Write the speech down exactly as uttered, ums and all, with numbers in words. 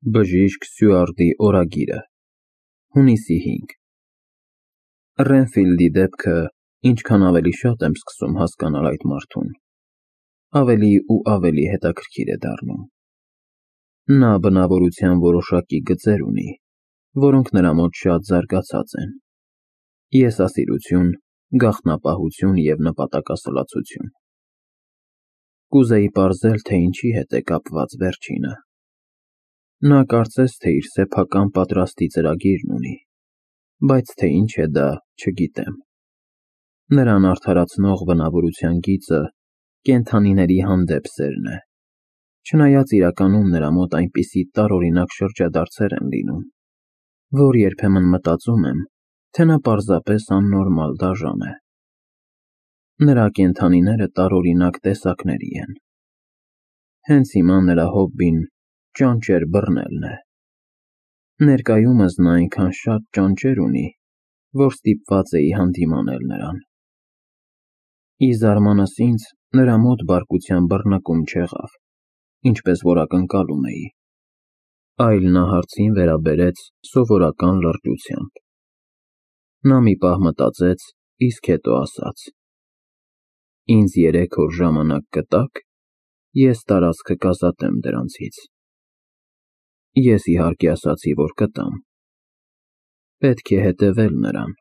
Բժիշկ Սյուարտի օրագիրը, հունիսի հինգ Ռենֆիլդի դեպքը ինչքան ավելի շատ եմ սկսում հասկանալ այդ մարդուն, ավելի ու ավելի հետաքրքիր է դառնում։ Նա բնավորության որոշակի գծեր ունի, որոնք նրա մոտ շատ զարգացած են. եսասիրություն, գաղտնապահություն և նպատակասլացություն։ Կուզեի պարզել, թե ինչի հետ է կապված վերջինը։ Նա կարծես թե իր սեփական պատրաստի ծրագիրն ունի, բայց թե ինչ է դա, չգիտեմ։ Նրան արդարացնող բնավորության գիծը կենդանիների հանդեպ սերն է, չնայած իրականում նրա մոտ այնպիսի տարօրինակ շրջադարձեր են լինում, որ երբեմն մտածում եմ, թե նա պարզապես աննորմալ դաժան է։ Նրա կենդանիները տարօրինակ տեսակների են։ Հենց հիմա նրա հոբբին ճանճեր բռնելն է։ Ներկայումս նա այնքան շատ ճանճեր ունի, որ ստիպված էի հանդիմանել նրան։ Ի զարմանս ինձ, նրա մոտ բարկության բռնկում չեղավ, ինչպես որ ակնկալում էի, այլ նա հարցին վերաբերեց սովորական լրջությամբ։ Նա մի պահ մտածեց, իսկ հետո ասաց. «Ինձ երեք օր ժամանակ կտա՞ք, ես տարածքը կազատեմ դրանցից»։ Ես իհարկե ասացի, որ կտամ։ Պետք է հետևել նրան։